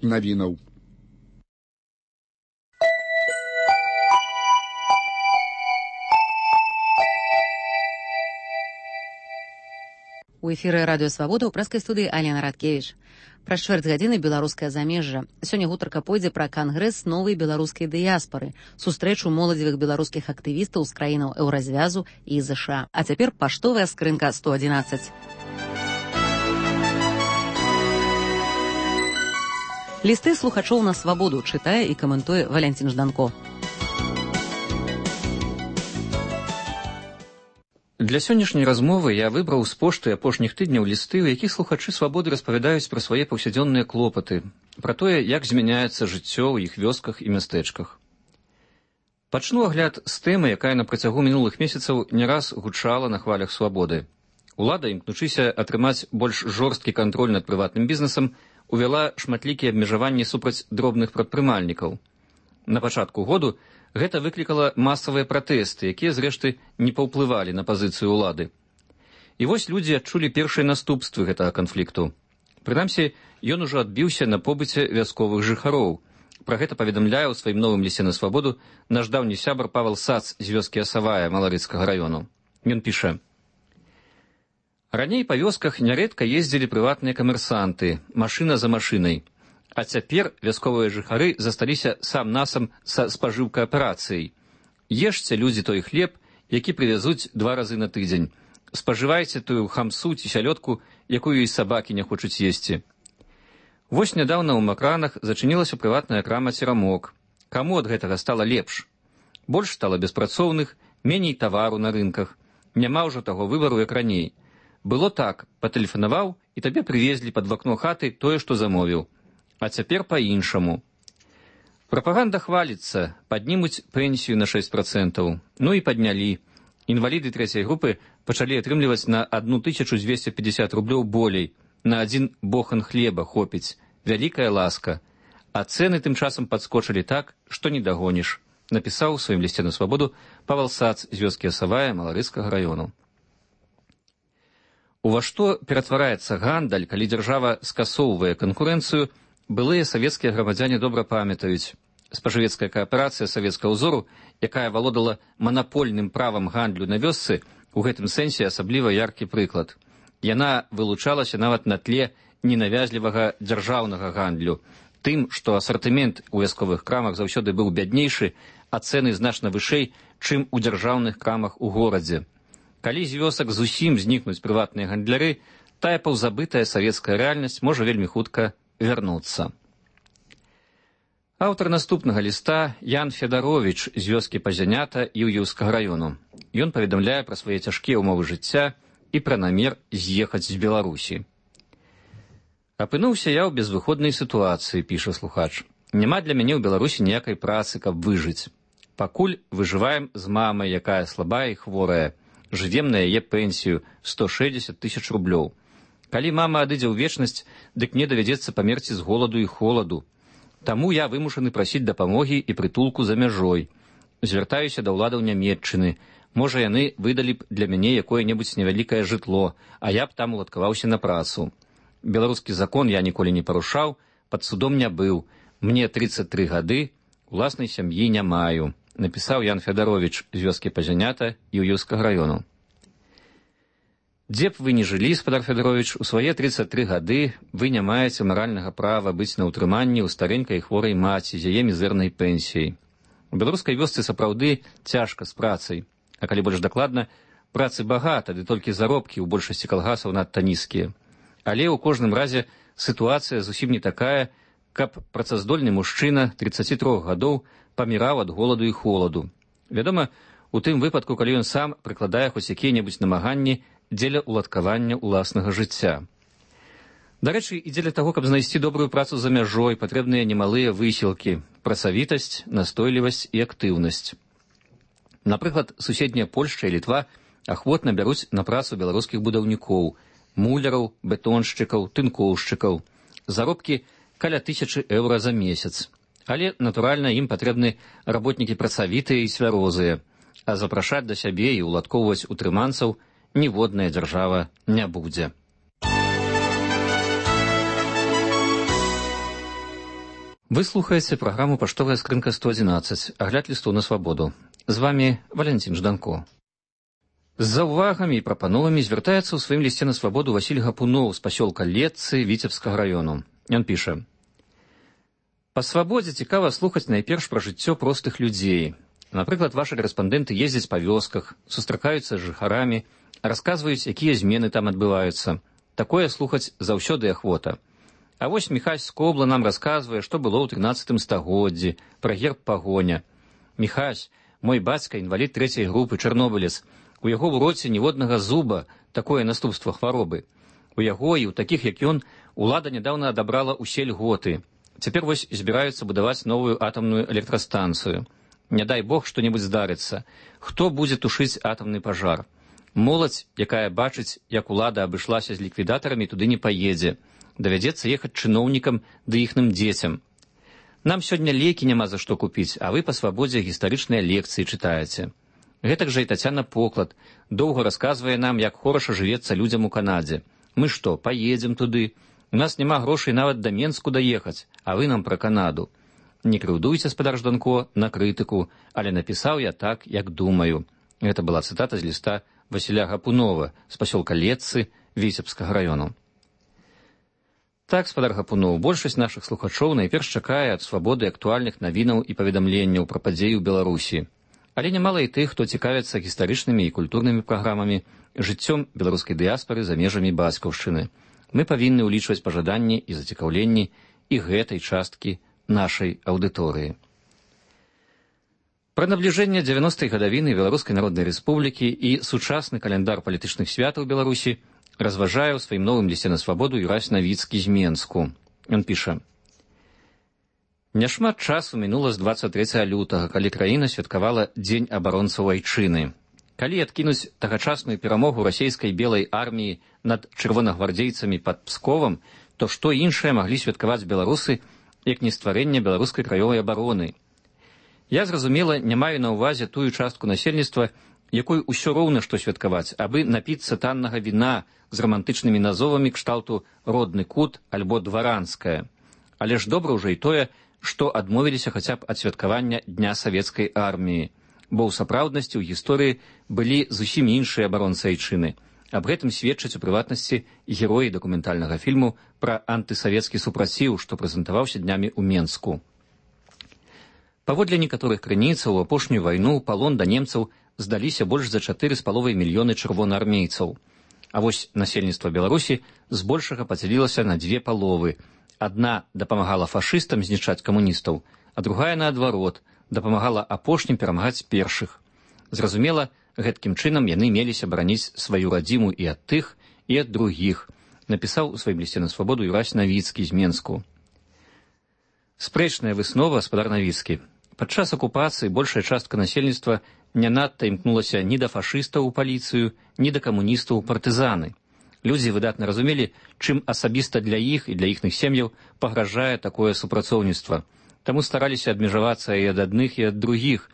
навінаў. У эфіры радыё Свабода ў прэскай студыі Алена Радкевіч. Праз чвэрць гадзіны беларускае замежжа. Сёння гутарка пойдзе пра кангрэс новай беларускай дыяспары, сустрэчу моладзевых беларускіх актывістаў з краінаў Еўразвязу і ЗША. А цяпер паштовая скрынка 111. Лісты слухачоў на Свабоду чытае і каментуе Валянцін Жданко. Для сённяшняй размовы я выбраў з пошты апошніх тыдняў лісты, у якіх слухачы Свабоды распавядаюць пра свае паўсядзённыя клопаты, пра тое, як змяняецца жыццё ў іх вёсках і мястэчках. Пачну агляд з тэмы, якая на працягу мінулых месяцаў не раз гучала на хвалях Свабоды. Улада, імкнучыся атрымаць больш жорсткі кантроль над прыватным бізнесам, увяла шматлікія абмежаванні супраць дробных прадпрымальнікаў. На пачатку году гэта выклікала масавыя пратэсты, якія, зрэшты, не паўплывалі на пазіцыю ўлады. І вось людзі адчулі першыя наступствы гэтага канфлікту. Прынамсі, ён ужо адбіўся на побыце вясковых жыхароў. Пра гэта паведамляе ў сваім новым лісце на Свабоду наш даўні сябар Павел Сац з вёскі Асавая Маларыцкага раёну. Ён піша: «Раней па вёсках нярэдка ездзілі прыватныя камерсанты, машына за машынай. А цяпер вясковыя жыхары засталіся сам-насам са спажыўкааперацыяй. Ешце, людзі, той хлеб, які прывязуць 2 разы на тыдзень. Спажывайце тую хамсу ці сялёдку, якую і сабакі не хочуць есці». Вось нядаўна ў Макранах зачынілася прыватная крама «Церамок». Каму ад гэтага стала лепш? Больш стала беспрацоўных, меней тавару на рынках. Няма ўжо таго выбару, як раней. Было так, патэлефанаваў, і табе прывезлі пад вакно хаты тое, што замовіў. А цяпер па-іншаму. Прапаганда хваліцца, паднімуць пенсію на 6%. Ну і паднялі. Інваліды 3-й групы пачалі атрымліваць на 1250 рублёў болей. На 1 бохан хлеба хопіць. Вялікая ласка. А цэны тым часам падскочылі так, што не дагоніш. Напісаў у сваім лісце на Свабоду Павел Сац з вёскі Асавая Маларыцкага раёну. Ува што ператвараецца гандаль, калі дзяржава скасоўвае канкурэнцыю, былыя савецкія грамадзяне добра памятаюць. Спажывецкая кааперацыя савецкага ўзору, якая валодала манапольным правам гандлю на вёсцы, у гэтым сэнсе асабліва яркі прыклад. Яна вылучалася нават на тле ненавязлівага дзяржаўнага гандлю, тым, што асартымент у вясковых крамах заўсёды быў бяднейшы, а цэны значна вышэй, чым у дзяржаўных крамах у горадзе. Калі з вёсак зусім знікнуць прыватныя гандляры, тая паўзабытая савецкая рэальнасць можа вельмі хутка вярнуцца. Аўтар наступнага ліста Ян Федаровіч з вёскі Пазянята Іўеўскага раёну. Ён паведамляе пра свае цяжкія ўмовы жыцця і пра намер з'ехаць з Беларусі. «Апынуўся я ў безвыходнай сітуацыі», піша слухач. «Няма для мяне ў Беларусі ніякай працы, каб выжыць. Пакуль выжываем з мамай, якая слабая і хворая. Жывем на яе пенсію 160 000 рублёў. Калі мама адыдзе ў вечнасць, дык мне давядзецца памерці з голаду і холаду. Таму я вымушаны прасіць дапамогі і прытулку за мяжой. Звяртаюся да ўладаў Нямецчыны. Можа, яны выдалі б для мяне якое-небудзь невялікае жытло, а я б там уладкаваўся на працу. Беларускі закон я ніколі не парушаў, пад судом не быў. Мне 33 гады, уласнай сям'і не маю», напісаў Ян Федаровіч з вёскі Пазянята Іўеўскага раёну. «Дзе б вы не жылі, спадар Федаровіч, у свае 33 гады вы не маеце маральнага права быць на ўтрыманні ў старэнькай хворай маці з яе мізэрнай пенсіяй. У беларускай вёсцы сапраўды цяжка з працай, а калі больш дакладна, працы багата, ды толькі заробкі ў большасці калгасаў надта нізкія. Але ў кожным разе сітуацыя зусім не такая, каб працаздольны мужчына 33 гадоў паміраў ад голаду і холаду. Вядома, у тым выпадку, калі ён сам прыкладае хоць якія-небудзь намаганні дзеля уладкавання ўласнага жыцця. Дарэчы, і дзеля таго, каб знайсці добрую працу за мяжой, патрэбныя немалыя высілкі, працавітасць, настойлівасць і актыўнасць. Напрыклад, суседняя Польшча і Літва ахвотна бяруць на працу беларускіх будаўнікоў, муляраў, бетоншчыкаў, тынкоўшчыкаў. Заробкі каля 1000 еўра за месяц. Але, натуральна, ім патрэбны работнікі працавітыя і свярозыя, а запрашаць да сябе і уладкоўваць утрыманцаў ніводная дзяржава не будзе. Вы слухаеце праграму «Паштовая скрынка 111», агляд лістоў на свабоду. З вами Валентин Жданко. З заўвагамі і прапановамі звяртаецца ў сваім лісце на свабоду Васіль Гапуноў з пасёлка Летцы Віцебскага раёну. Ён піша: «Па свабодзе цікава слухаць найперш пра жыццё простых людзей. Напрыклад, ваши карэспандэнты ездзяць па вёсках, сустракаюцца з жыхарамі, расказваюць, якія змены там адбываюцца. Такое слухаць заўсёды ахвота. А вось Міхась Скобла нам расказвае, што было ў 13 стагоддзі, пра герб пагоня. Міхась, мой бацька, інвалід 3-й групы, чарнобылец. У яго ў роце ніводнага зуба, такое наступства хваробы. У яго і ў такіх, як ён, улада нядаўна адабрала ўсе льготы. Цяпер вось збіраюцца будаваць новую атамную электрастанцыю. Не дай Бог што-небудзь здарыцца. Хто будзе тушыць атамны пажар? Моладзь, якая бачыць, як улада абышлася з ліквідатарамі, туды не паедзе. Давядзецца ехаць чыноўнікам ды іхным дзецям. Нам сёння лекі няма за што купіць, а вы па свабодзе гістарычныя лекцыі чытаеце. Гэтак жа і Тацяна Поклад доўга расказвае нам, як хораша жывецца людзям у Канадзе. Мы што, паедзем туды? У нас няма грошай нават да Менску даехаць, а вы нам пра Канаду. Не крыўдуйце, спадар Жданко, на крытыку, але напісаў я так, як думаю». Гэта была цытата з ліста Васіля Гапунова з пасёлка Летцы Віцебскага раёну. Так, спадар Гапуноў, большасць нашых слухачоў найперш чакае ад свабоды актуальных навінаў і паведамленняў пра падзеі ў Беларусі. Але нямала і тых, хто цікавіцца гістарычнымі і культурнымі праграмамі, жыццём беларускай дыяспары за межамі бацькаўшчыны. Мы павінны ўлічваць пажаданні і зацікаўленні і гэтай часткі нашай аўдыторыі. Пра набліжэнне 90-й гадавіны Беларускай Народнай Рэспублікі і сучасны каляндар палітычных святаў Беларусі разважае ў сваім новым лісце на свабоду Юрась Навіцкі з Менску. Ён піша: «Няшмат часу мінула з 23 лютага, калі краіна святкавала Дзень абаронцаў айчыны. Калі адкінуць тагачасную перамогу расейскай белай арміі над чырвонагвардзейцамі пад Псковам, то што іншае маглі святкаваць беларусы, як не стварэнне беларускай краёвай абароны? Я, зразумела, не маю на ўвазе тую частку насельніцтва, якой усё роўна што святкаваць, абы напіцца таннага віна з рамантычнымі назовамі кшталту «родны кут» альбо «дваранская». Але ж добра ўжо і тое, што адмовіліся хаця б ад святкавання Дня савецкай арміі, бо ў сапраўднасці ў гісторыі былі зусім іншыя абаронцы айчыны. Аб гэтым сведчаць у прыватнасці героі дакументальнага фільму пра антысавецкі супраціў, што прэзентаваўся днямі ў Менску. Паводле некаторых крыніцаў, у апошнюю вайну ў палон да немцаў здаліся больш за 4,5 мільёны чырвонаармейцаў. А вось насельніцтва Беларусі збольшага падзялілася на дзве паловы. Адна дапамагала фашыстам знішчаць камуністаў, а другая, наадварот, дапамагала апошнім перамагаць першых. Зразумела, гэткім чынам яны меліся бараніць сваю радзіму і ад тых, і ад другіх, напісаў у сваім лісце на свабоду Юрась Навіцкі з Менску. Спрэчная выснова, спадар Навіцкі. Падчас акупацыі большая частка насельніцтва не надта імкнулася ні да фашыстаў у паліцыю, ні да камуністаў у партызаны. Людзі выдатна разумелі, чым асабіста для іх і для іхных сем'яў пагражае такое супрацоўніцтва. Таму стараліся адмежавацца і ад адных, і ад другіх.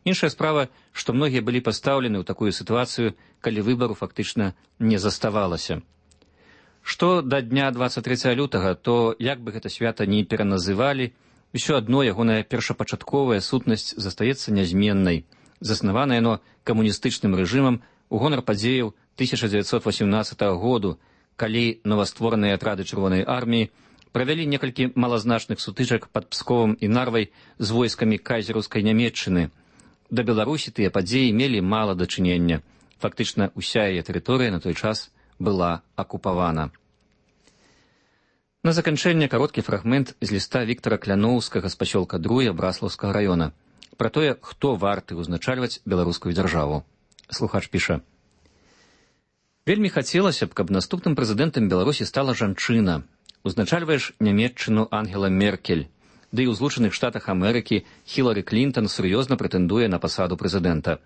Іншая справа, што многія былі пастаўлены ў такую сітуацыю, калі выбару фактычна не заставалася. Што да дня 23 лютага, то як бы гэта свята ні пераназывалі, усё адно ягоная першапачатковая сутнасць застаецца нязменнай. Заснавана яно камуністычным рэжымам у гонар падзеяў 1918 году, калі новаствораныя атрады Чырвонай арміі правялі некалькі малазначных сутычак пад Псковам і Нарвай з войскамі кайзераўскай Нямецчыны. Да Беларусі тыя падзеі мелі мала дачынення. Фактычна ўся яе тэрыторыя на той час была акупавана. На заканчэнне кароткі фрагмент з ліста Віктара Кляноўскага з пасёлка Друя Браслаўскага раёна пра тое, хто варты ўзначальваць беларускую дзяржаву. Слухач піша: «Вельмі хацелася б, каб наступным прэзідэнтам Беларусі стала жанчына. Узначальваеш Нямецчыну Ангела Меркель, ды і ў Злучаных Штатах Амерыкі Хілары Клінтон сур'ёзна прэтэндуе на пасаду прэзідэнта.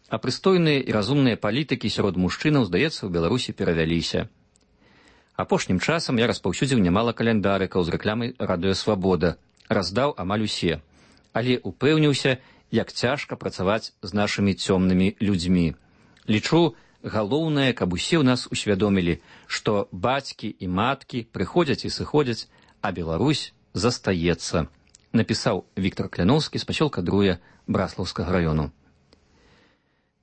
А прыстойныя і разумныя палітыкі сярод мужчынаў, здаецца, у Беларусі перавяліся. Апошнім часам я распаўсюдзіў нямала каляндарыкаў з рэкламай «Радыё Свабода», раздаў амаль усе, але упэўніўся, як цяжка працаваць з нашымі цёмнымі людзьмі. Лічу, галоўнае, каб усе ў нас усвядомілі, што бацькі і маткі прыходзяць і сыходзяць, а Беларусь застаецца. напісаў Віктор Кляноўскі з пасёлка Друя Браслаўскага раёну.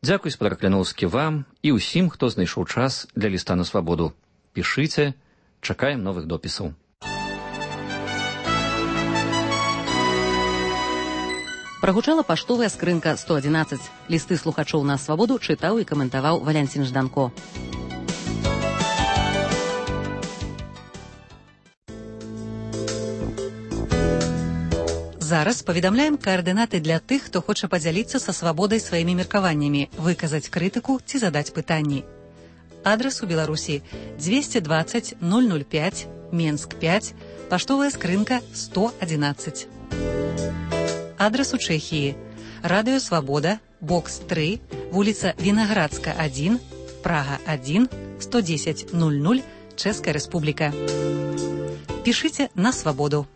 Дзякуй, спадар Кляноўскі, вам і ўсім, хто знайшоў час для ліста на свабоду. Пішыце, чакаем новых допісаў. Прагучала паштовая скрынка 111. Лісты слухачоў на свабоду чытаў і каментаваў Валянцін Жданко. Зараз паведамляем каардынаты для тых, хто хоча падзяліцца са свабодай сваімі меркаваннямі, выказаць крытыку ці задаць пытанні. Адрас у Беларусі 220 005, Менск 5, паштовая скрынка 111. Адрас у Чэхіі. Радыё Свабода, бокс 3, вуліца Вінаградска 1, Прага 1, 110 00, Чэшская Рэспубліка. Пішыце на свабоду.